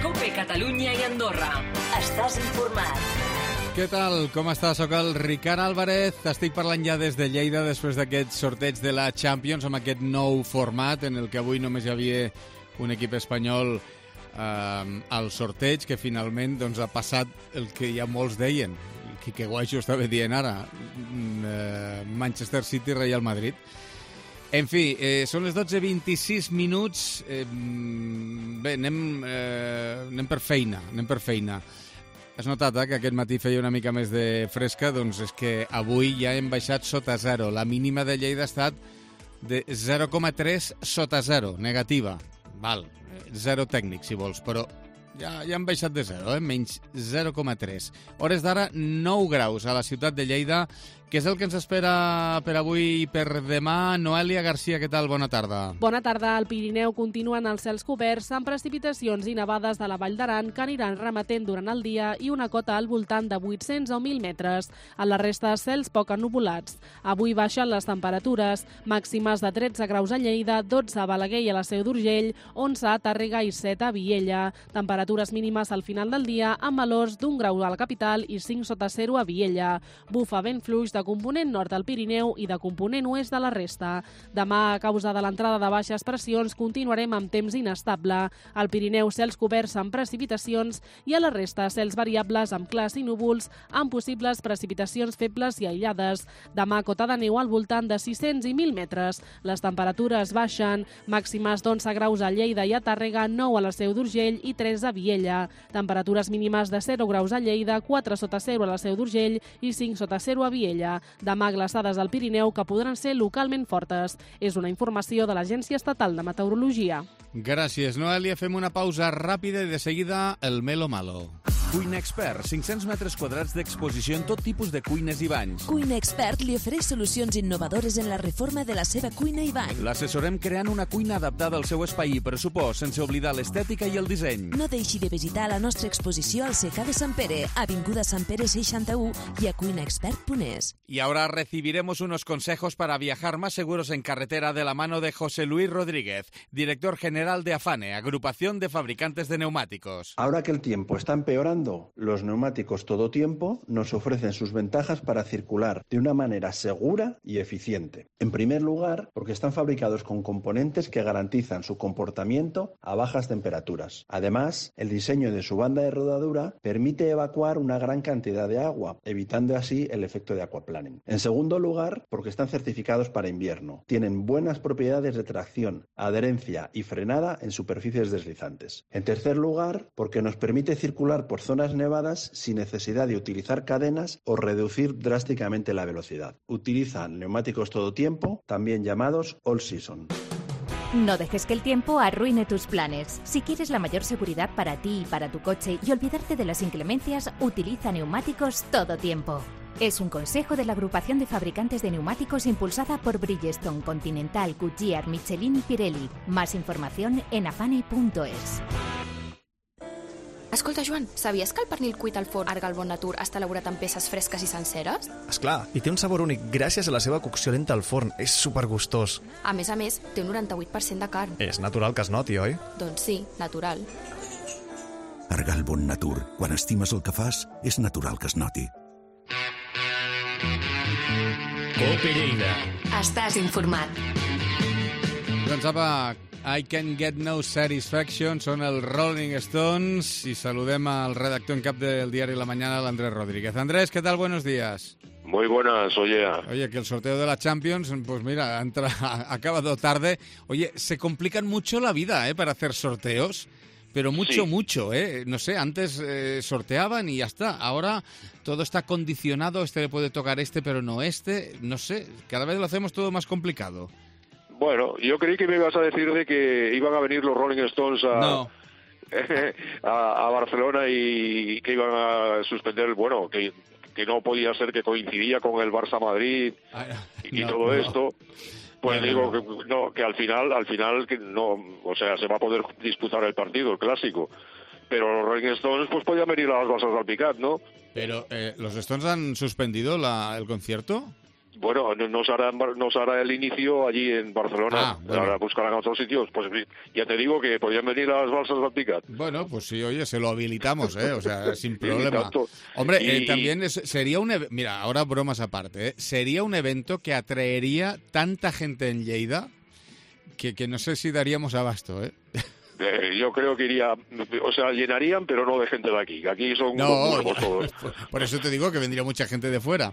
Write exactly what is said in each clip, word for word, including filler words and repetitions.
COPE Catalunya i Andorra. Estàs informat. Què tal? Com estàs? Soc el Ricard Álvarez. Estic parlant ja des de Lleida després d'aquest sorteig de la Champions amb aquest nou format en el que avui només hi havia un equip espanyol eh, al sorteig, que finalment doncs, ha passat el que ja molts deien. Quique Guaixo estava dient ara, eh, Manchester City, Real Madrid. En fi, eh, són les dotze i vint-i-sis minuts. Eh, bé, anem, eh, anem per feina, anem per feina. Has notat eh, que aquest matí feia una mica més de fresca? Doncs és que avui ja hem baixat sota zero. La mínima de Lleida ha estat de zero coma tres sota zero, negativa. Val, zero tècnic, si vols, però ja, ja hem baixat de zero, eh? Menys zero coma tres. Hores d'ara, nou graus a la ciutat de Lleida. Què és el que ens espera per avui i per demà? Noelia Garcia, què tal? Bona tarda. Bona tarda. Al Pirineu continuen els cels coberts amb precipitacions i nevades de la Vall d'Aran que aniran remetent durant el dia i una cota al voltant de vuit-cents o mil metres. A la resta, cels poc ennuvolats. Avui baixen les temperatures, màximes de tretze graus a Lleida, dotze a Balaguer i a la Seu d'Urgell, onze a Tàrrega i set a Viella. Temperatures mínimes al final del dia amb valors d'un grau a la capital i cinc sota zero a Viella. Bufa vent fluix de component nord del Pirineu i de component oest de la resta. Demà, a causa de l'entrada de baixes pressions, continuarem amb temps inestable. Al Pirineu, cels coberts amb precipitacions i a la resta, cels variables amb clars i núvols amb possibles precipitacions febles i aïllades. Demà, cota de neu al voltant de sis-cents i mil metres. Les temperatures baixen, màximes d'onze graus a Lleida i a Tàrrega, nou a la Seu d'Urgell i tres a Viella. Temperatures mínimes de zero graus a Lleida, quatre sota zero a la Seu d'Urgell i cinc sota zero a Viella. Demà, glaçades al Pirineu que podran ser localment fortes. És una informació de l'Agència Estatal de Meteorologia. Gràcies, Noelia. Fem una pausa ràpida i de seguida el Melo Malo. Cuina Expert, cinc-cents metres quadrats d'exposició en tot tipus de cuines i banys. Cuina Expert li ofereix solucions innovadores en la reforma de la seva cuina i bany. L'assessorem creant una cuina adaptada al seu espai i pressupost, sense oblidar l'estètica i el disseny. No deixi de visitar la nostra exposició al Secà de Sant Pere, Avinguda Sant Pere seixanta-u i a cuina expert punt es. Y ahora recibiremos unos consejos para viajar más seguros en carretera de la mano de José Luis Rodríguez, director general de AFANE, Agrupación de Fabricantes de Neumáticos. Ahora que el tiempo está empeorando, los neumáticos todo tiempo nos ofrecen sus ventajas para circular de una manera segura y eficiente. En primer lugar, porque están fabricados con componentes que garantizan su comportamiento a bajas temperaturas. Además, el diseño de su banda de rodadura permite evacuar una gran cantidad de agua, evitando así el efecto de aquaplaning. En segundo lugar, porque están certificados para invierno. Tienen buenas propiedades de tracción, adherencia y frenada en superficies deslizantes. En tercer lugar, porque nos permite circular por zonas nevadas sin necesidad de utilizar cadenas o reducir drásticamente la velocidad. Utilizan neumáticos todo tiempo, también llamados all season. No dejes que el tiempo arruine tus planes. Si quieres la mayor seguridad para ti y para tu coche y olvidarte de las inclemencias, utiliza neumáticos todo tiempo. Es un consejo de la Agrupación de Fabricantes de Neumáticos impulsada por Bridgestone, Continental, Goodyear, Michelin y Pirelli. Más información en afane punto es. Escolta, Joan, sabies que el pernil cuit al forn Argal Bon Natur està elaborat amb peces fresques i senceres? Esclar, i té un sabor únic gràcies a la seva cocció lenta al forn. És supergustós. A més a més, té un noranta-vuit per cent de carn. És natural que es noti, oi? Doncs sí, natural. Argal Bon Natur. Quan estimes el que fas, és natural que es noti. COPE Lleida. Estàs informat. Doncs apa, I Can Get No Satisfaction, són els Rolling Stones y saludem al redactor en cap del diario La Mañana, el Andrés Rodríguez. Andrés, ¿qué tal? Buenos días. Muy buenas, oye. Oye, que el sorteo de la Champions, pues mira, ha, entra, ha acabado tarde. Oye, se complican mucho la vida, ¿eh? Para hacer sorteos, pero mucho, sí. mucho, ¿eh? No sé, antes eh, sorteaban y ya está. Ahora todo está condicionado, este le puede tocar este, pero no este. No sé, cada vez lo hacemos todo más complicado. Bueno, yo creí que me ibas a decir de que iban a venir los Rolling Stones a, no. a, a Barcelona y que iban a suspender, bueno, que, que no podía ser que coincidía con el Barça Madrid y, y no, todo no. esto. Pues no, digo no. que no, que al final, al final que no, o sea, se va a poder disputar el partido, el clásico. Pero los Rolling Stones pues podían venir a las basas del Picat, ¿no? Pero eh, los Stones han suspendido la, el concierto. Bueno, nos hará, nos hará el inicio allí en Barcelona. Ah, bueno. Ahora buscarán otros sitios. Pues ya te digo que podrían venir a las balsas de Alpicat. Bueno, pues sí, oye, se lo habilitamos, ¿eh? O sea, sin problema. Hombre, y, eh, también es, sería un... Mira, ahora bromas aparte, ¿eh? Sería un evento que atraería tanta gente en Lleida que, que no sé si daríamos abasto, ¿eh? Eh, yo creo que iría, o sea, llenarían, pero no de gente de aquí. Aquí son no, ya, todos. Por eso te digo que vendría mucha gente de fuera.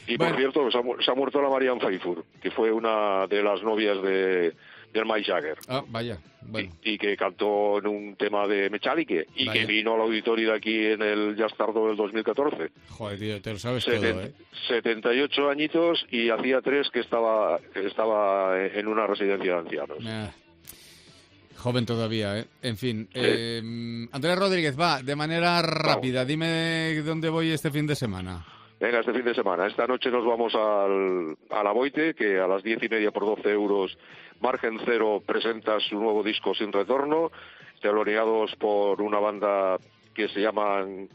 Y bueno. por cierto, se ha, se ha muerto la Marianne Faithfull, que fue una de las novias de del Mick Jagger. Ah, vaya. Bueno. Y, y que cantó en un tema de Metallica y vaya. Que vino al auditorio de aquí en el Jazz Tardo del dos mil catorce. Joder, tío, te lo sabes Seten, todo, ¿eh? setenta y ocho añitos y hacía tres que estaba, que estaba en una residencia de ancianos. Ah. Joven todavía, ¿eh? En fin. Sí. Eh, Andrés Rodríguez, va, de manera rápida, dime dónde voy este fin de semana. Venga, este fin de semana. Esta noche nos vamos al, a la Boite, que a las diez y media por doce euros, Margen Cero presenta su nuevo disco Sin Retorno, teloneados por una banda que se llaman,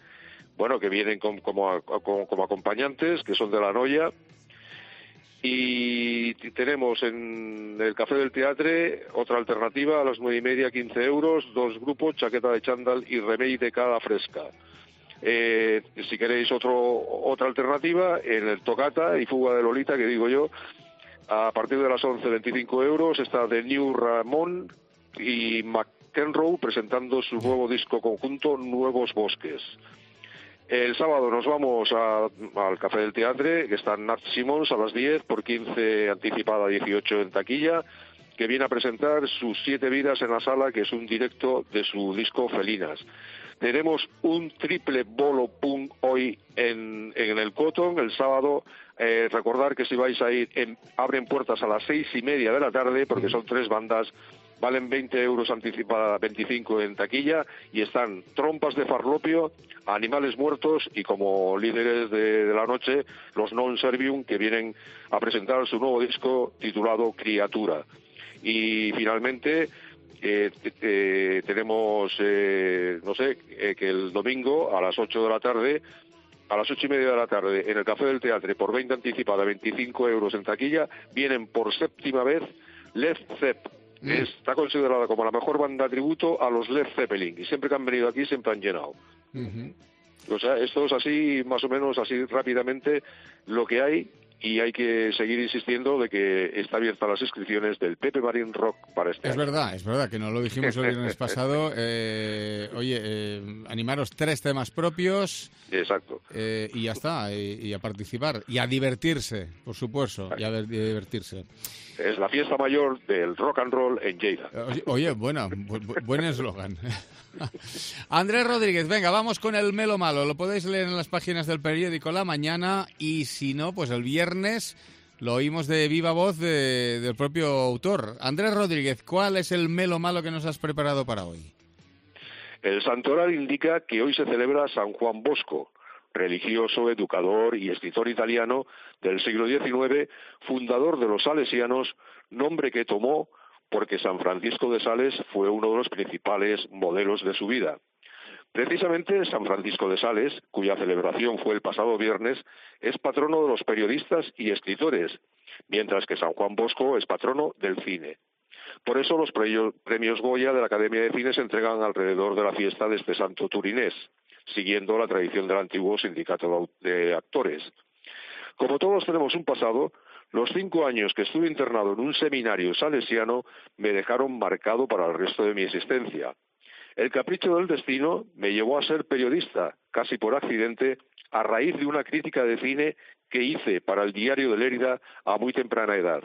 bueno, que vienen con, como, como, como acompañantes, que son de La Noia. Y tenemos en el Café del Teatre otra alternativa a las nueve y media, quince euros, dos grupos, Chaqueta de Chándal y Remei de Cada Fresca. Eh, si queréis otro otra alternativa, en el Tocata y Fuga de Lolita, que digo yo, a partir de las once, veinticinco euros, está The New Ramón y McEnroe presentando su nuevo disco conjunto Nuevos Bosques. El sábado nos vamos a, al Café del Teatre, que está Nat Simons a las diez, por quince anticipada, dieciocho en taquilla, que viene a presentar sus siete vidas en la sala, que es un directo de su disco Felinas. Tenemos un triple bolo punk hoy en, en el Cotton, el sábado. Eh, recordar que si vais a ir, en, abren puertas a las seis y media de la tarde, porque son tres bandas. Valen veinte euros anticipada, veinticinco en taquilla, y están Trompas de Farlopio, Animales Muertos y como líderes de, de la noche, los Non Servium, que vienen a presentar su nuevo disco titulado Criatura. Y finalmente eh, eh, tenemos, eh, no sé, eh, que el domingo a las ocho de la tarde, a las ocho y media de la tarde, en el Café del Teatre, por veinte anticipada, veinticinco euros en taquilla, vienen por séptima vez Led Zepp. Está considerada como la mejor banda tributo a los Led Zeppelin, y siempre que han venido aquí siempre han llenado. Uh-huh. O sea, esto es así, más o menos así rápidamente lo que hay, y hay que seguir insistiendo de que está abierta las inscripciones del Pepe Marín Rock para este Es año. verdad, es verdad, que no lo dijimos el viernes pasado. Eh, oye, eh, animaros tres temas propios. Exacto. Eh, y ya está, y, y a participar. Y a divertirse, por supuesto, y a, ver, y a divertirse. Es la fiesta mayor del rock and roll en Lleida. Oye, oye bueno, bu buen eslogan. Andrés Rodríguez, venga, vamos con el Melo Malo. Lo podéis leer en las páginas del periódico La Mañana, y si no, pues el viernes lo oímos de viva voz de, del propio autor. Andrés Rodríguez, ¿cuál es el Melo Malo que nos has preparado para hoy? El santoral indica que hoy se celebra San Juan Bosco, religioso, educador y escritor italiano del siglo diecinueve, fundador de los salesianos, nombre que tomó porque San Francisco de Sales fue uno de los principales modelos de su vida. Precisamente San Francisco de Sales, cuya celebración fue el pasado viernes, es patrono de los periodistas y escritores, mientras que San Juan Bosco es patrono del cine. Por eso los premios Goya de la Academia de Cine se entregan alrededor de la fiesta de este santo turinés, siguiendo la tradición del antiguo sindicato de actores. Como todos tenemos un pasado, los cinco años que estuve internado en un seminario salesiano me dejaron marcado para el resto de mi existencia. El capricho del destino me llevó a ser periodista, casi por accidente, a raíz de una crítica de cine que hice para el Diario de Lérida a muy temprana edad.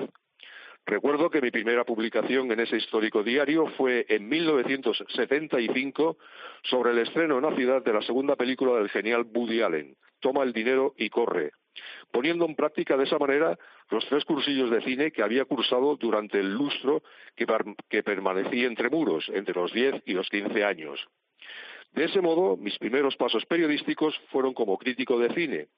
Recuerdo que mi primera publicación en ese histórico diario fue en mil novecientos setenta y cinco sobre el estreno en la ciudad de la segunda película del genial Woody Allen, Toma el dinero y corre, poniendo en práctica de esa manera los tres cursillos de cine que había cursado durante el lustro que, que permanecí entre muros, entre los diez y los quince años. De ese modo, mis primeros pasos periodísticos fueron como crítico de cine,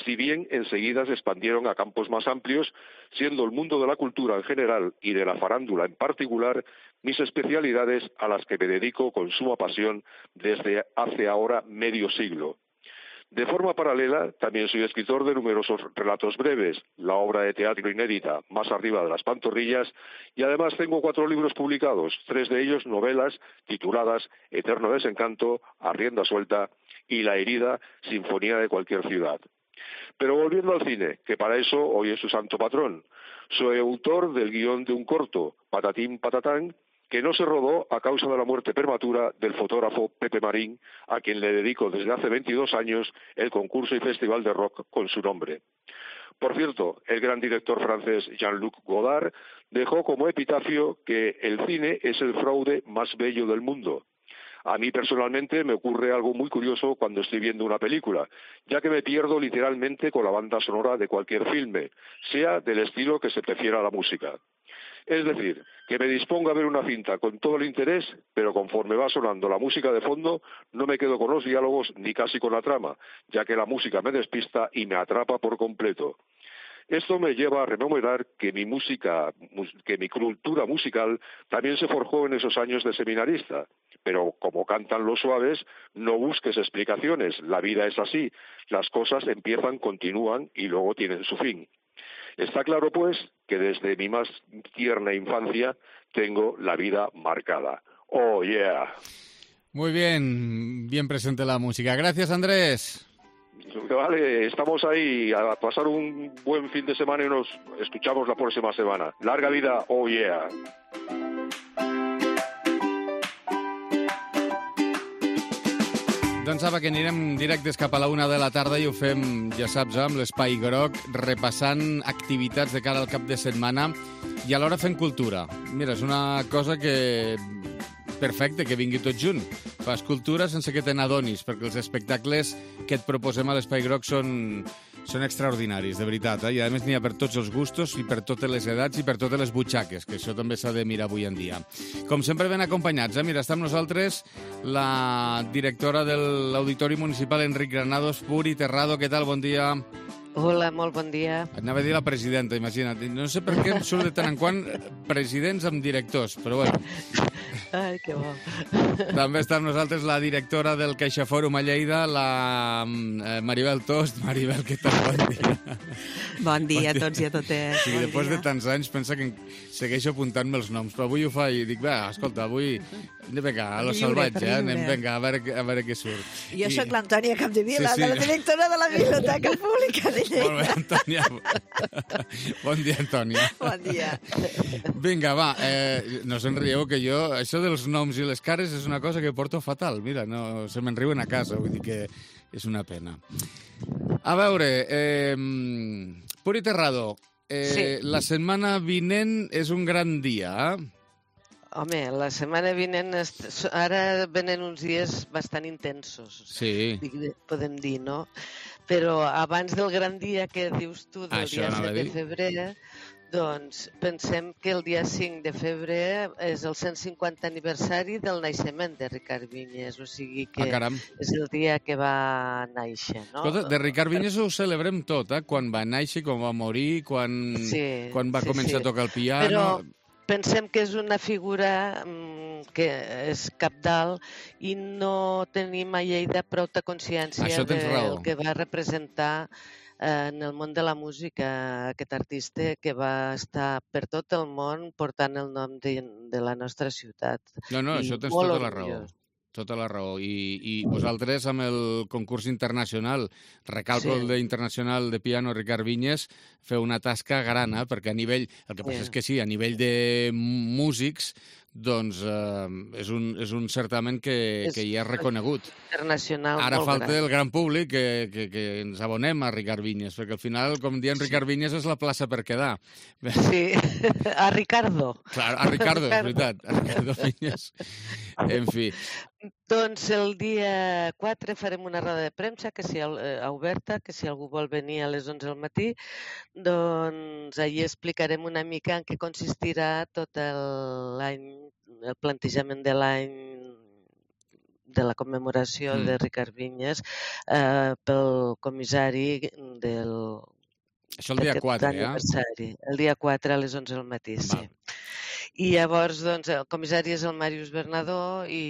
si bien enseguida se expandieron a campos más amplios, siendo el mundo de la cultura en general y de la farándula en particular mis especialidades a las que me dedico con suma pasión desde hace ahora medio siglo. De forma paralela, también soy escritor de numerosos relatos breves, la obra de teatro inédita Más arriba de las pantorrillas, y además tengo cuatro libros publicados, tres de ellos novelas tituladas Eterno desencanto, A rienda suelta y La herida, Sinfonía de cualquier ciudad. Pero volviendo al cine, que para eso hoy es su santo patrón, soy autor del guión de un corto, Patatín Patatán, que no se rodó a causa de la muerte prematura del fotógrafo Pepe Marín, a quien le dedico desde hace veintidós años el concurso y festival de rock con su nombre. Por cierto, el gran director francés Jean-Luc Godard dejó como epitafio que el cine es el fraude más bello del mundo. A mí personalmente me ocurre algo muy curioso cuando estoy viendo una película, ya que me pierdo literalmente con la banda sonora de cualquier filme, sea del estilo que se prefiera a la música. Es decir, que me dispongo a ver una cinta con todo el interés, pero conforme va sonando la música de fondo, no me quedo con los diálogos ni casi con la trama, ya que la música me despista y me atrapa por completo. Esto me lleva a rememorar que mi música, que mi cultura musical también se forjó en esos años de seminarista. Pero como cantan los suaves, no busques explicaciones, la vida es así, las cosas empiezan, continúan y luego tienen su fin. Está claro, pues, que desde mi más tierna infancia tengo la vida marcada. ¡Oh, yeah! Muy bien, bien presente la música. Gracias, Andrés. Vale, estamos ahí a pasar un buen fin de semana y nos escuchamos la próxima semana. Larga vida, ¡oh, yeah! Doncs apa, que anirem directes cap a la una de la tarda i ho fem, ja saps, amb l'Espai Groc, repassant activitats de cara al cap de setmana i alhora fent cultura. Mira, és una cosa que... perfecte, que vingui tot junt. Fas cultura sense que te n'adonis, perquè els espectacles que et proposem a l'Espai Groc són, són extraordinaris, de veritat. Eh? I a més n'hi ha per tots els gustos i per totes les edats i per totes les butxaques, que això també s'ha de mirar avui en dia. Com sempre ben acompanyats, eh? Mira, està amb nosaltres la directora de l'Auditori Municipal, Enric Granados, Puri Terrado. Què tal? Bon dia. Hola, molt bon dia. Anava a dir la presidenta, imagina't. No sé per què em surt de tant en quant presidents amb directors, però bueno. Ai, que bo. També està amb nosaltres la directora del CaixaFòrum a Lleida, la Maribel Tost. Maribel, què tal? Bon dia. Bon dia a tots i a totes. Sí, bon després dia. de tants anys pensa que segueixo apuntant-me els noms, però avui ho fa i dic, va, escolta, avui... Vinga, a lo salvatge, eh? Anem, vinga, a veure, a veure què surt. Jo I... sóc l'Antònia Capdevila, sí, sí. de la directora de la Biblioteca Pública de Lleida. Molt bé, Antònia. Bon dia, Antònia. Bon dia. Vinga, va, eh, no se'n rieu, que jo, això dels noms i les cares és una cosa que porto fatal. Mira, no, se me'n riuen a casa, vull dir que és una pena. A veure, eh, Puri Terrado, eh, sí. La setmana vinent és un gran dia, eh? Home, la setmana vinent, ara venen uns dies bastant intensos, sí. podem dir, no? Però abans del gran dia que dius tu, del Això dia set de febrer, doncs pensem que el dia cinc de febrer és el cent cinquanta aniversari del naixement de Ricard Vinyes, o sigui que ah, és el dia que va néixer, no? Escolta, de Ricard Vinyes ho celebrem tot, eh? Quan va néixer, quan va morir, quan, sí, quan va sí, començar sí. a tocar el piano... Però pensem que és una figura que és cabdal i no tenim a Lleida prou de consciència del que va representar en el món de la música aquest artista que va estar per tot el món portant el nom de, de la nostra ciutat. No, no, I això tens tota la raó. Tota la raó. I, i vosaltres, amb el concurs internacional, recalco sí. el d'Internacional de Piano Ricard Vinyes, feu una tasca gran, eh? Perquè a nivell... El que passa sí. és que sí, a nivell de músics, doncs eh, és, un, és un certament que, és que ja és reconegut. Internacional. Ara falta gran. el gran públic que, que, que ens abonem a Ricard Vinyes, perquè al final, com diem, sí. Ricard Vinyes és la plaça per quedar. Sí, a Ricardo. Clar, a Ricardo, és veritat, a Ricardo Vinyes. En fi. Doncs el dia quatre farem una roda de premsa que si, eh, oberta, que si algú vol venir a les onze del matí, doncs allí explicarem una mica en què consistirà tot l'any, el plantejament de l'any de la commemoració mm. de Ricard Vinyes eh, pel comissari del... Això el dia quatre, ja? El dia quatre a les onze del matí, Va. sí. I llavors, doncs, el comissari és el Màrius Bernadó i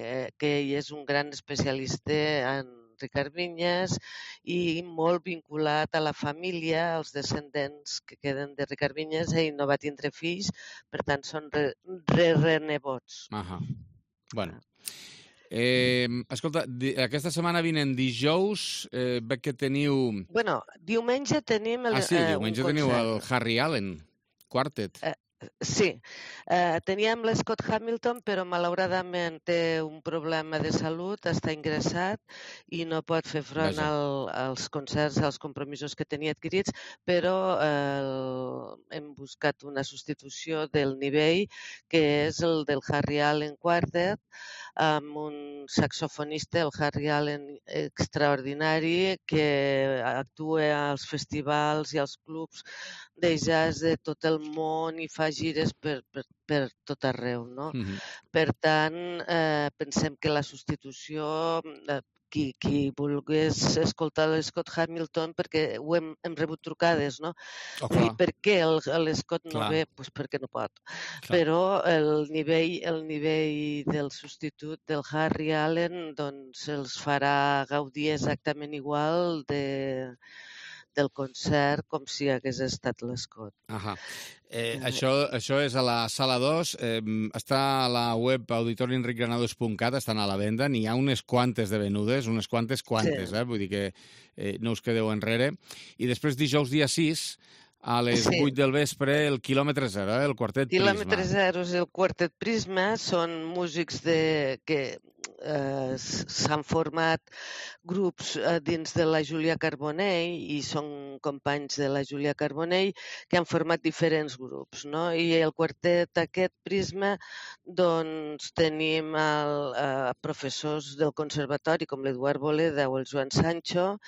eh, que ell és un gran especialista en Ricard Vinyes, i molt vinculat a la família, als descendents que queden de Ricard Vinyes. Ell no va tindre fills, per tant són re-renebots. Ahà. Bueno. Eh, escolta, aquesta setmana vinent dijous, eh, veig que teniu... Bueno, diumenge tenim... El, ah, sí, eh, diumenge teniu el Harry Allen Quartet. Eh, Sí, eh, teníem l'Scott Hamilton, però malauradament té un problema de salut, està ingressat i no pot fer front al, als concerts, als compromisos que tenia adquirits, però eh, hem buscat una substitució del nivell, que és el del Harry Allen Quartet, amb un saxofonista, el Harry Allen extraordinari, que actua als festivals i als clubs de jazz de tot el món i fa gires per, per, per tot arreu, no? Mm-hmm. Per tant, eh, pensem que la substitució, eh, qui, qui volgués escoltar l'Scott Hamilton, perquè ho hem, hem rebut trucades, no? Oh, I per què l'Scott no clar. ve? Pues perquè no pot. Clar. Però el nivell, el nivell del substitut del Harry Allen doncs els farà gaudir exactament igual de... del concert com si hagués estat l'Scott. Ahà. Eh, això, això és a la sala dos, eh, està a la web auditori enric granados punt cat, estan a la venda, n'hi ha unes quantes de venudes, unes quantes quantes, sí. eh? Vull dir que eh, no us quedeu enrere. I després dijous dia sis, a les sí. vuit del vespre, el quilòmetre zero, eh? El quartet Prisma. Quilòmetre zero és el quartet Prisma, són músics de... que eh, s'han format grups eh, dins de la Júlia Carbonell i són companys de la Júlia Carbonell que han format diferents grups, no? I el quartet aquest Prisma, doncs tenim el, eh, professors del conservatori com l'Eduard Boleda o el Joan Sancho,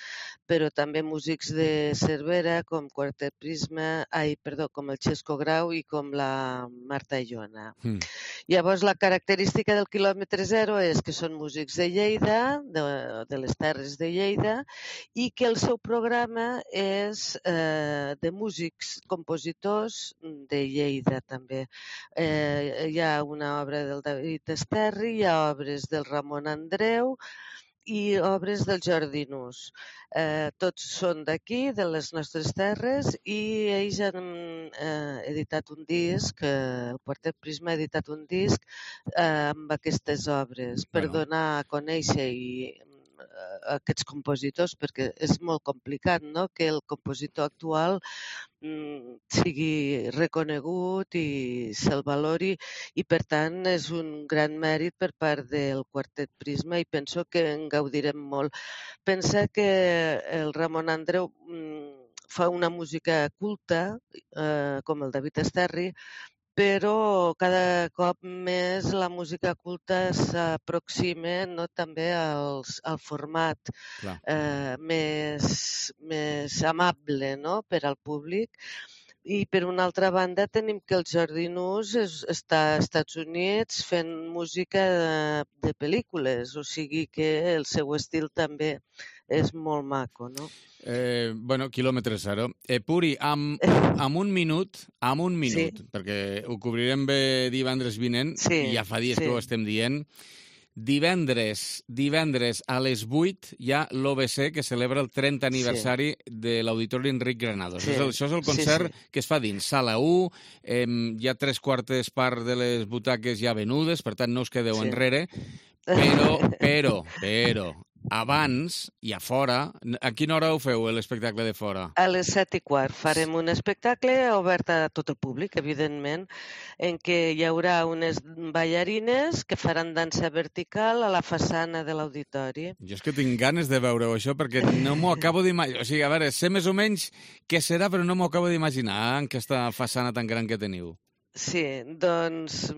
però també músics de Cervera com Quartet Prisma, ai, perdó, com el Xesco Grau i com la Marta Iona. Mm. Llavors, la característica del quilòmetre zero és que són músics de Lleida, de, de les Terres de Lleida, i que el seu programa és eh, de músics, compositors de Lleida, també. Eh, hi ha una obra del David Esterri, hi ha obres del Ramon Andreu, i obres del Jordi Nus. Eh, tots són d'aquí, de les nostres terres, i ells han eh, editat un disc, eh, el Quartet Prisma ha editat un disc eh, amb aquestes obres per bueno. donar a conèixer i aquests compositors, perquè és molt complicat, no?, que el compositor actual mm, sigui reconegut i se'l valori, i per tant és un gran mèrit per part del Quartet Prisma i penso que en gaudirem molt. Pensa que el Ramon Andreu mm, fa una música culta, eh, com el David Esterri, però cada cop més la música culta s'aproxima, no, també als, al format eh, més, més amable, no?, per al públic. I per una altra banda tenim que el Jordi Nus és, està als Estats Units fent música de, de pel·lícules, o sigui que el seu estil també és molt maco, no? Eh, bueno, quilòmetre zero. Eh, Puri, amb, amb un minut, amb un minut, sí. perquè ho cobrirem bé divendres vinent, sí, i ja fa dies sí. que ho estem dient. Divendres, divendres a les vuit hi ha l'O B C que celebra el trenta aniversari sí. de l'Auditori Enric Granados. Sí. Això és el concert sí, sí. que es fa dins Sala u, eh, hi ha tres quartes part de les butaques ja venudes, per tant no us quedeu sí. enrere, però, però, però, abans i a fora, a quina hora ho feu, l'espectacle de fora? A les set i quart farem un espectacle obert a tot el públic, evidentment, en què hi haurà unes ballarines que faran dansa vertical a la façana de l'auditori. Jo és que tinc ganes de veure això perquè no m'ho acabo d'imaginar. O sigui, a veure, sé més o menys què serà, però no m'ho acabo d'imaginar, en aquesta façana tan gran que teniu. Sí, doncs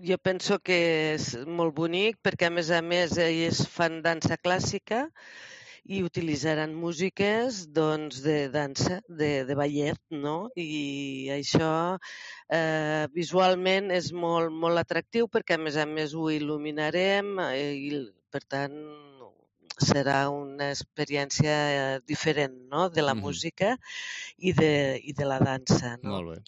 jo penso que és molt bonic perquè, a més a més, ells fan dansa clàssica i utilitzaran músiques doncs, de dansa, de, de ballet, no? I això eh, visualment és molt, molt atractiu perquè, a més a més, ho il·luminarem i, per tant, serà una experiència diferent, no?, de la mm-hmm. música i de, i de la dansa, no? Molt bé.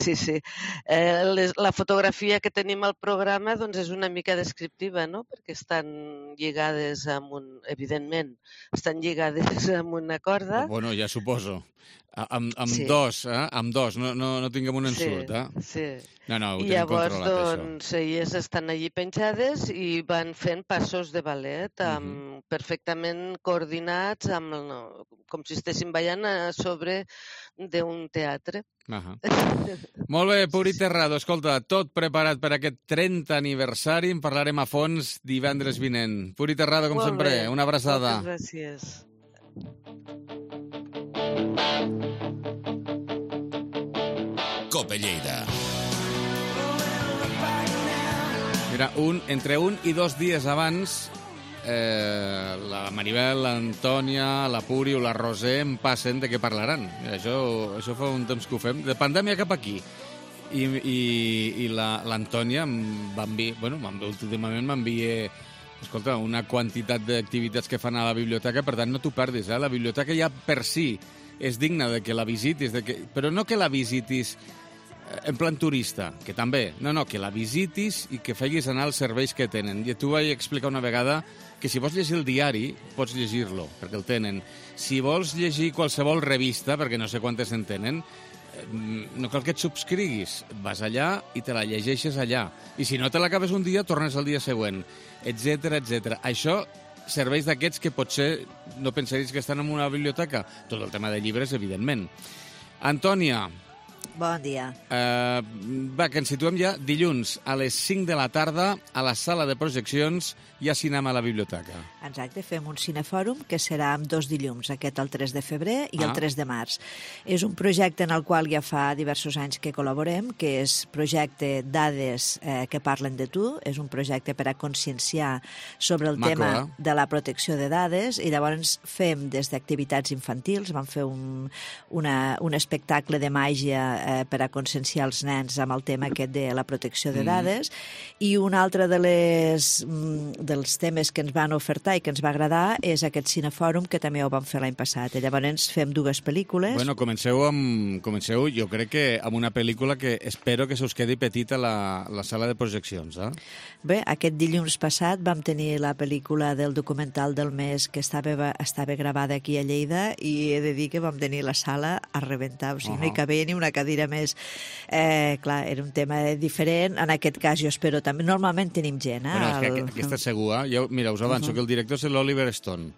Sí, sí. Eh, les, la fotografia que tenim al programa doncs, és una mica descriptiva, no? Perquè estan lligades amb un... Evidentment, estan lligades amb una corda. Bueno, ja suposo. Amb, amb Sí. dos, eh? Amb dos, no, no, no tinguem un ensurt, Sí, eh? sí. No, no, ho I tenim llavors, controlat, doncs, elles estan allí penjades i van fent passos de ballet amb, Mhm. perfectament coordinats, amb, el- com si estessin ballant a sobre d'un teatre. Ahà. Molt bé, Puri Terrado, escolta, tot preparat per aquest trenta aniversari, en parlarem a fons divendres vinent. Puri Terrado, com Molt sempre, bé. una abraçada. Moltes gràcies. Cope Lleida. Mira, un, entre un i dos dies abans, eh, la Maribel, l'Antònia, la Puri o la Roser em passen de què parlaran. Mira, això, això fa un temps que ho fem. De pandèmia cap aquí. I, i, i l'Antònia la, va enviar, bueno, últimament m'envia, escolta, una quantitat d'activitats que fan a la biblioteca, per tant no t'ho perdis, eh? La biblioteca ja per si és digna de que la visitis, de que, però no que la visitis en plan turista, que també, no, no, que la visitis i que feguis anar els serveis que tenen. I tu vaig explicar una vegada que si vols llegir el diari, pots llegir-lo, perquè el tenen. Si vols llegir qualsevol revista, perquè no sé quantes en tenen, no cal que et subscriguis. Vas allà i te la llegeixes allà. I si no te l'acabes un dia, tornes al dia següent, etcètera, etcètera. Això, serveis d'aquests que potser no pensaries que estan en una biblioteca. Tot el tema de llibres, evidentment. Antònia, Bon dia. Eh, va, que ens situem ja dilluns a les cinc de la tarda a la sala de projeccions hi ha cinema a la biblioteca. Exacte, fem un cinefòrum que serà amb dos dilluns, aquest el tres de febrer i Ah. el tres de març. És un projecte en el qual ja fa diversos anys que col·laborem, que és projecte Dades eh, que parlen de tu, és un projecte per a conscienciar sobre el Maco, tema eh? de la protecció de dades, i llavors fem des d'activitats infantils, vam fer un, una, un espectacle de màgia eh, per a conscienciar els nens amb el tema aquest de la protecció de Mm. dades, i un altre de les, mm, dels temes que ens van ofertar i que ens va agradar és aquest cinefòrum que també ho vam fer l'any passat. I llavors fem dues pel·lícules. Bueno, comenceu, amb, comenceu jo crec que amb una pel·lícula que espero que se us quedi petita la, la sala de projeccions, eh? Bé, aquest dilluns passat vam tenir la pel·lícula del documental del mes que estava, estava gravada aquí a Lleida, i he de dir que vam tenir la sala a rebentar, o sigui, uh -huh. no hi cabia ni una cadira més. Eh, clar, era un tema diferent, en aquest cas jo espero també, normalment tenim gent, eh? Bueno, és que El- aquest, aquesta segur, eh? Jo, mira, us avanço Uh -huh. que el director és l'Oliver Stone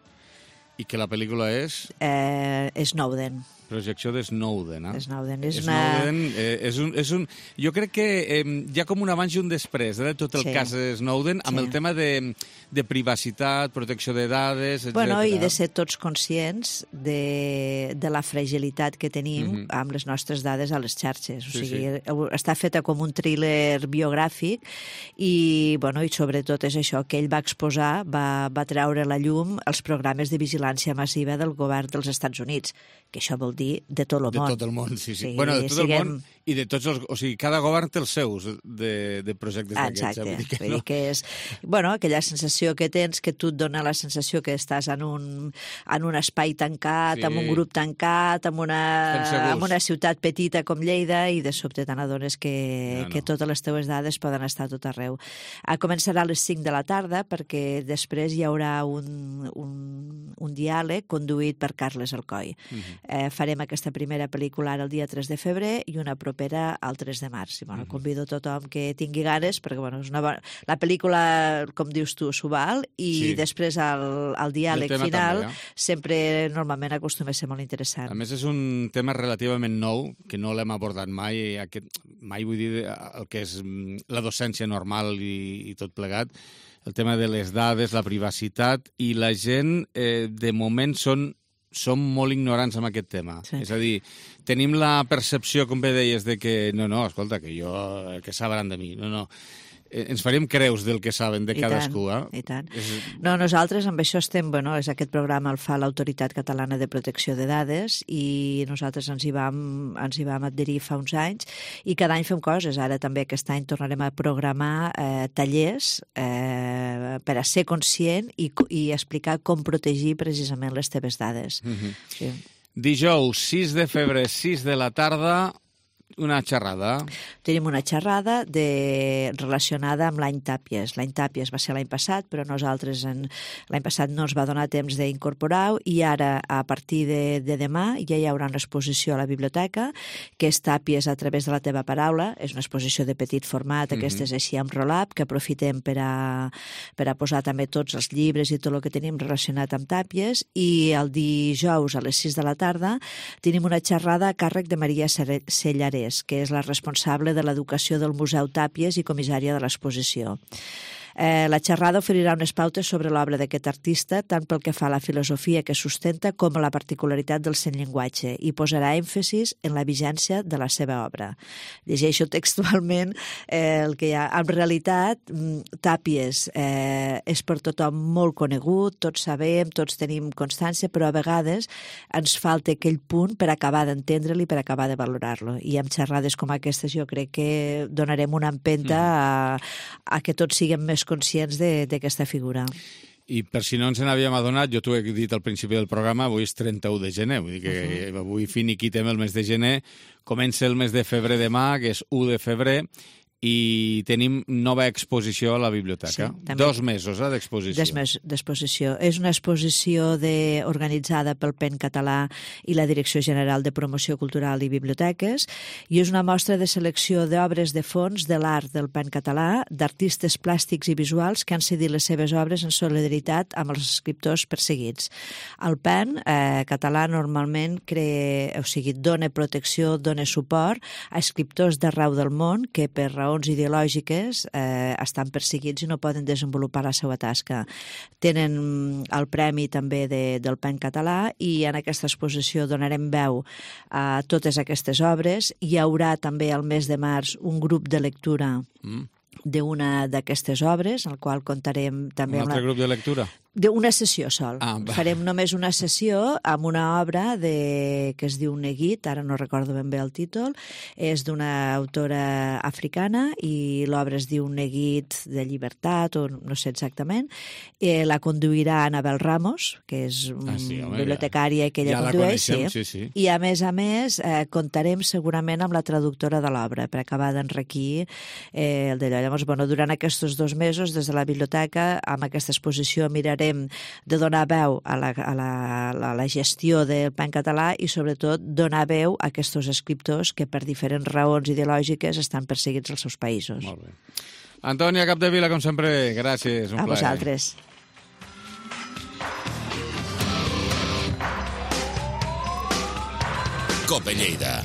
i que la pel·lícula és Eh, Snowden. projecció de Snowden, eh? Snowden és una... Snowden eh, és, un, és un... Jo crec que eh, hi ha com un abans i un després eh, de tot el Sí. cas de Snowden, amb Sí. el tema de, de privacitat, protecció de dades, etcètera. Bueno, i de ser tots conscients de, de la fragilitat que tenim Mhm. amb les nostres dades a les xarxes. O Sí, sigui, està feta com un thriller biogràfic i, bueno, i sobretot és això, que ell va exposar, va, va treure a la llum els programes de vigilància massiva del govern dels Estats Units, que això vol dir de tot el De món. tot el món, sí, sí. Sí, bueno, de tot siguem- el món i de tots els... O sigui, cada govern té els seus de, de projectes d'aquests. Exacte, eh? Vull dir que vull no. dir que és... Bueno, aquella sensació que tens, que tu et dona la sensació que estàs en un, en un espai tancat, Sí. amb un grup tancat, amb Estem una, segurs. amb una ciutat petita com Lleida, i de sobte te n'adones que, No, no. que totes les teves dades poden estar a tot arreu. Ah, començarà a les cinc de la tarda, perquè després hi haurà un, un, un diàleg conduït per Carles Alcoi. Mhm. Eh, farem aquesta primera pel·lícula ara el dia tres de febrer i una propera al tres de març. I, bueno, convido a tothom que tingui ganes, perquè bueno, és una bona... la pel·lícula, com dius tu, s'ho val, i Sí. després el, el diàleg I el tema final també, eh? sempre normalment acostuma a ser molt interessant. A més, és un tema relativament nou, que no l'hem abordat mai, aquest, mai vull dir el que és mm, la docència normal i, i tot plegat, el tema de les dades, la privacitat, i la gent, eh, de moment, són som molt ignorants amb aquest tema. Sí. És a dir, tenim la percepció, com bé deies, de que no, no, escolta, que jo, que sabran de mi. No, no. Eh, ens faríem creus del que saben de I cadascú, tant, eh? i tant. És... No, nosaltres amb això estem, bueno, és aquest programa el fa l'Autoritat Catalana de Protecció de Dades, i nosaltres ens hi vam, ens hi vam adherir fa uns anys, i cada any fem coses. Ara també aquest any tornarem a programar eh, tallers eh, per a ser conscient i, i explicar com protegir precisament les teves dades. Mm-hmm. Sí. Dijous, sis de febrer, sis de la tarda, una xerrada. Tenim una xerrada de, relacionada amb l'any Tàpies. L'any Tàpies va ser l'any passat, però nosaltres en, l'any passat no ens va donar temps d'incorporar-ho i ara, a partir de, de demà, ja hi haurà una exposició a la biblioteca, que és Tàpies a través de la teva paraula. És una exposició de petit format, mm-hmm. aquestes així amb roll-up, que aprofitem per a, per a posar també tots els llibres i tot el que tenim relacionat amb Tàpies. I el dijous a les sis de la tarda tenim una xerrada a càrrec de Maria Sellarés, que és la responsable de l'educació del Museu Tàpies i comissària de l'exposició. Eh, la xerrada oferirà unes pautes sobre l'obra d'aquest artista, tant pel que fa a la filosofia que sustenta com a la particularitat del seu llenguatge, i posarà èmfasis en la vigència de la seva obra. Llegeixo textualment eh, el que hi ha. En realitat, Tàpies eh, és per tothom molt conegut, tots sabem, tots tenim constància, però a vegades ens falta aquell punt per acabar d'entendre-lo i per acabar de valorar-lo. I amb xerrades com aquestes jo crec que donarem una empenta a, a que tots siguem més conscients d'aquesta figura. I per si no ens n'havíem adonat, jo t'ho he dit al principi del programa, avui és trenta-u de gener, vull dir que uh-huh. avui finiquitem el mes de gener, comença el mes de febrer demà, que és u de febrer, i tenim nova exposició a la biblioteca. Sí, Dos mesos eh, d'exposició. Dos mesos d'exposició. És una exposició de, organitzada pel Pen Català i la Direcció General de Promoció Cultural i Biblioteques, i és una mostra de selecció d'obres de fons de l'art del Pen Català, d'artistes plàstics i visuals que han cedit les seves obres en solidaritat amb els escriptors perseguits. El Pen eh, Català normalment crea, o sigui, dona protecció, dona suport a escriptors d'arreu del món que per raó ideològiques eh, estan perseguits i no poden desenvolupar la seva tasca. Tenen el premi també de, del Pen Català i en aquesta exposició donarem veu a totes aquestes obres. Hi haurà també al mes de març un grup de lectura mm. d'una d'aquestes obres, al qual contarem també... Un altre una... grup de lectura? D'una sessió sol. Ah, Farem només una sessió amb una obra de, que es diu Neguit, ara no recordo ben bé el títol, és d'una autora africana i l'obra es diu Neguit de llibertat, o no sé exactament. Eh, la conduirà Anabel Ramos, que és ah, sí, home, bibliotecària que ella ja condueix. Ja la coneixem, sí, sí. I a més a més eh, comptarem segurament amb la traductora de l'obra per acabar d'enriquir eh, el d'allò. Llavors, bueno, durant aquests dos mesos, des de la biblioteca, amb aquesta exposició mirarem de donar veu a la, a la, a la gestió del Pen Català i, sobretot, donar veu a aquests escriptors que, per diferents raons ideològiques, estan perseguits als seus països. Molt bé. Antònia Capdevila, com sempre, gràcies. Un a plaer. vosaltres. Cope Lleida.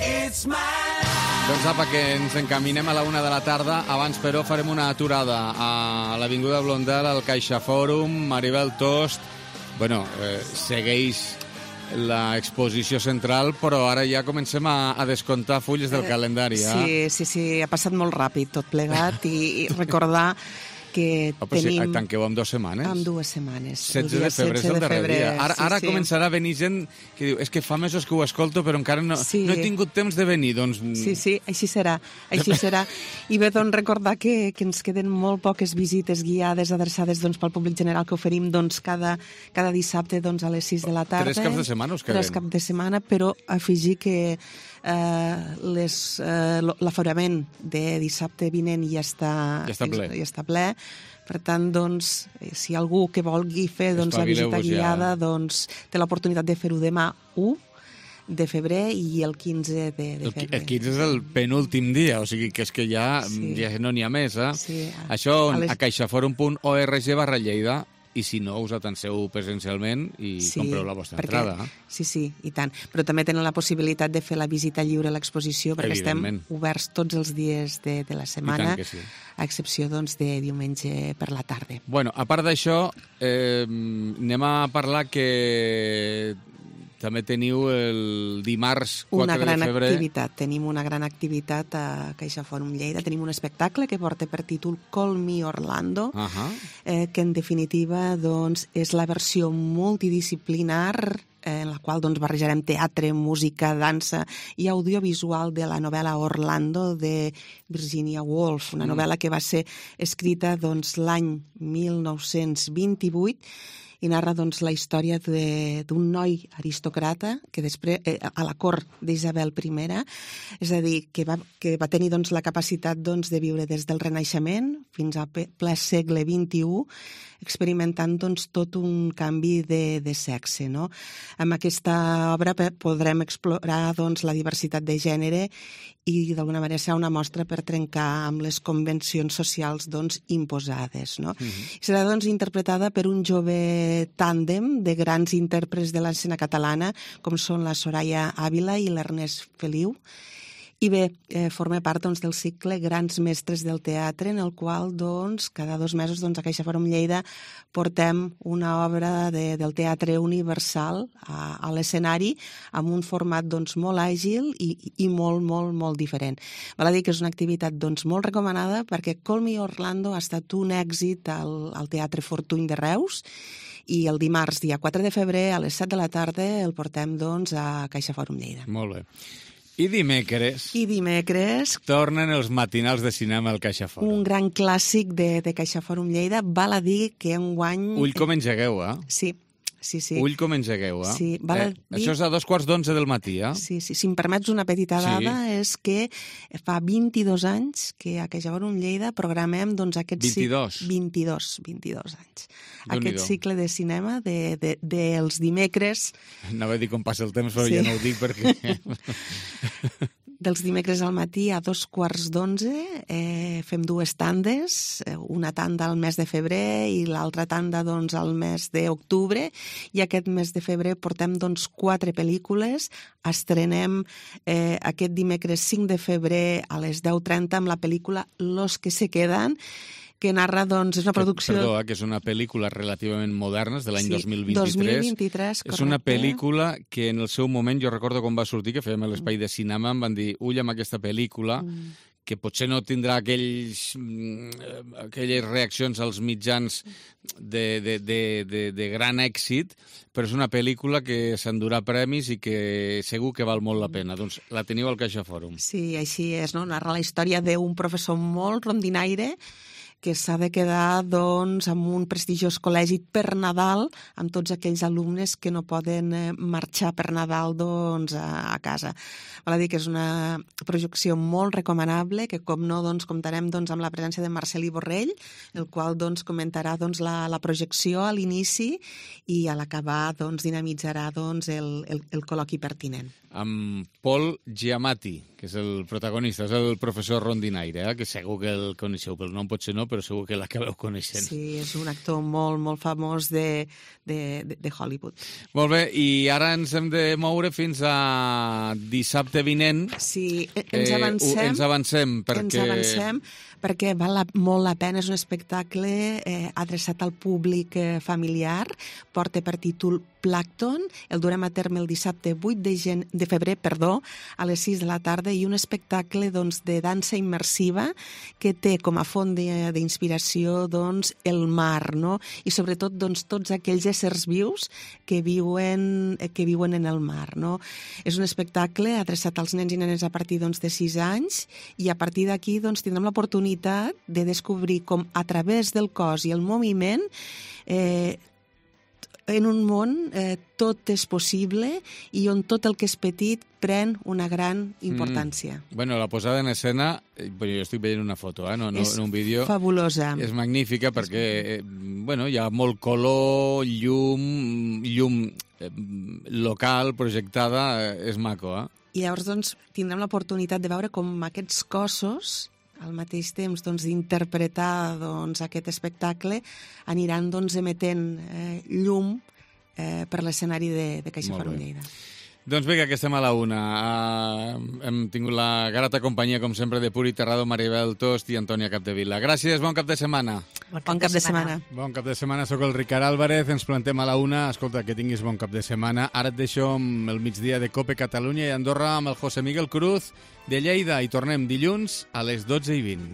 Doncs apa, que ens encaminem a la una de la tarda. Abans, però, farem una aturada a l'Avinguda Blondel, al Caixa Fòrum. Maribel Tost, bueno, eh, segueix l'exposició central, però ara ja comencem a, a descomptar fulles del calendari. Eh? Sí, sí, sí, ha passat molt ràpid tot plegat i, i recordar que oh, però tenim... Si tanqueu amb dues setmanes? Amb dues setmanes. setze de febrer és el darrer dia. Ara, sí, ara sí. començarà a venir gent que diu és que fa mesos que ho escolto però encara no, sí. no he tingut temps de venir. Doncs... Sí, sí, així serà. Així serà. I bé, doncs, recordar que, que ens queden molt poques visites guiades adreçades doncs, pel públic general que oferim doncs, cada, cada dissabte doncs, a les sis de la tarda. Tres caps de setmana us queden. Tres caps de setmana, però afegir que eh, les, eh, l'aforament de dissabte vinent ja està, ja està ple. Ja està ple. Per tant, doncs, si algú que vulgui fer doncs, la visita guiada ja. doncs, té l'oportunitat de fer-ho demà u de febrer i el quinze de, de febrer. El quinze és el penúltim dia, o sigui que és que ja, sí. ja no n'hi ha més. Eh? Sí. Això a, les... a caixaforum punt org barra Lleida, i si no, us atanseu presencialment i sí, compreu la vostra perquè, entrada. Sí, sí, i tant. Però també tenen la possibilitat de fer la visita lliure a l'exposició, perquè estem oberts tots els dies de, de la setmana, sí. a excepció doncs, de diumenge per la tarda. Bueno, a part d'això, eh, anem a parlar que també teniu el dimarts quatre una gran de febrer. Activitat. Tenim una gran activitat a Caixa Fòrum Lleida. Tenim un espectacle que porta per títol Call Me Orlando, uh-huh. eh, que en definitiva doncs, és la versió multidisciplinar en la qual doncs, barrejarem teatre, música, dansa i audiovisual de la novel·la Orlando de Virginia Woolf, una novel·la que va ser escrita doncs, l'any mil nou-cents vint-i-vuit i narra doncs, la història d'un noi aristocrata que després, eh, a la cort d'Isabel I, és a dir, que va, que va tenir doncs, la capacitat doncs, de viure des del Renaixement fins al ple segle vint-i-u, experimentant doncs, tot un canvi de, de sexe. No? Amb aquesta obra podrem explorar doncs, la diversitat de gènere i d'alguna manera serà una mostra per trencar amb les convencions socials doncs, imposades. No? Uh-huh. Serà doncs, interpretada per un jove tàndem de grans intèrprets de l'escena catalana, com són la Soraya Ávila i l'Ernest Feliu. I bé, eh, forma part doncs, del cicle Grans Mestres del Teatre, en el qual doncs, cada dos mesos doncs, a CaixaForum Lleida portem una obra de, del teatre universal a, a l'escenari amb un format doncs, molt àgil i, i molt, molt, molt diferent. Val a dir que és una activitat doncs, molt recomanada perquè Call Me Orlando ha estat un èxit al, al Teatre Fortuny de Reus i el dimarts, dia quatre de febrer, a les set de la tarda, el portem doncs, a CaixaForum Lleida. Molt bé. I dimecres... I dimecres... tornen els matinals de cinema al CaixaForum. Un gran clàssic de, de CaixaForum Lleida. Val a dir que enguany... Ull com engegueu, eh? Sí, sí, sí. Ull com engegueu, eh? Sí, val a eh, dir... Això és a dos quarts d'onze del matí, eh? Sí, sí. Si em permets una petita dada, sí. És que fa vint-i-dos anys que a CaixaForum Lleida programem doncs, aquest vint-i-dos? vint-i-dos, vint-i-dos anys. Aquest cicle de cinema de, de, dels dimecres... Anava a dir com passa el temps, però sí. Ja no ho dic perquè... Dels dimecres al matí a dos quarts d'onze eh, fem dues tandes, una tanda al mes de febrer i l'altra tanda doncs, al mes d'octubre, i aquest mes de febrer portem doncs, quatre pel·lícules. Estrenem eh, aquest dimecres cinc de febrer a les deu trenta amb la pel·lícula Los que se quedan, que narra, doncs, és una producció... Perdó, eh, que és una pel·lícula relativament moderna, és de l'any sí, dos mil vint-i-tres. dos mil vint-i-tres, correcte. És una pel·lícula que en el seu moment, jo recordo quan va sortir, que fèiem l'espai de cinema, em van dir, ull amb aquesta pel·lícula, mm. que potser no tindrà aquells, aquelles reaccions als mitjans de, de, de, de, de gran èxit, però és una pel·lícula que s'endurà premis i que segur que val molt la pena. Doncs la teniu al CaixaForum. Sí, així és, no? Narra la història d'un professor molt rondinaire que s'ha de quedar doncs, amb un prestigiós col·legi per Nadal amb tots aquells alumnes que no poden marxar per Nadal doncs, a, a casa. Val a dir que és una projecció molt recomanable, que com no doncs, comptarem doncs, amb la presència de Marcelí Borrell, el qual doncs, comentarà doncs, la, la projecció a l'inici i a l'acabar doncs, dinamitzarà doncs, el, el, el col·loqui pertinent. Amb Paul Giamatti, que és el protagonista, és el professor rondinaire, eh? Que segur que el coneixeu, pel nom potser no, però segur que l'acabeu coneixent. Sí, és un actor molt, molt famós de, de, de Hollywood. Molt bé, i ara ens hem de moure fins a dissabte vinent. Sí, ens avancem. Eh, ens avancem, perquè... Ens avancem, perquè val la, molt la pena, és un espectacle eh, adreçat al públic eh, familiar, porta per títol Plàncton, el durem a terme el dissabte vuit de, gen... de febrer, perdó, a les sis de la tarda, i un espectacle doncs, de dansa immersiva que té com a font d'inspiració doncs, el mar, no? I sobretot doncs, tots aquells éssers vius que viuen, que viuen en el mar. No? És un espectacle adreçat als nens i nenes a partir doncs, de sis anys, i a partir d'aquí doncs, tindrem l'oportunitat de descobrir com a través del cos i el moviment eh, en un món eh, tot és possible i on tot el que és petit pren una gran importància. Mm. Bueno, la posada en escena, bueno, jo estic veient una foto, eh, no, no, és en un vídeo. Fabulosa. És magnífica perquè eh, bueno, hi ha molt color, llum, llum eh, local, projectada, eh, és maco, eh? I llavors doncs, tindrem l'oportunitat de veure com aquests cossos al mateix temps doncs, d'interpretar doncs, aquest espectacle aniran doncs, emetent eh, llum eh, per l'escenari de, de CaixaForum Lleida. Doncs vinga, que estem a la una. Uh, hem tingut la grata companyia, com sempre, de Puri Terrado, Maribel Tost i Antònia Capdevila. Gràcies, bon cap de setmana. Bon cap, bon cap de, de setmana. Bon cap de setmana, sóc el Ricard Álvarez, ens plantem a la una. Escolta, que tinguis bon cap de setmana. Ara et deixo amb el migdia de Cope Catalunya i Andorra amb el José Miguel Cruz de Lleida i tornem dilluns a les dotze i vint.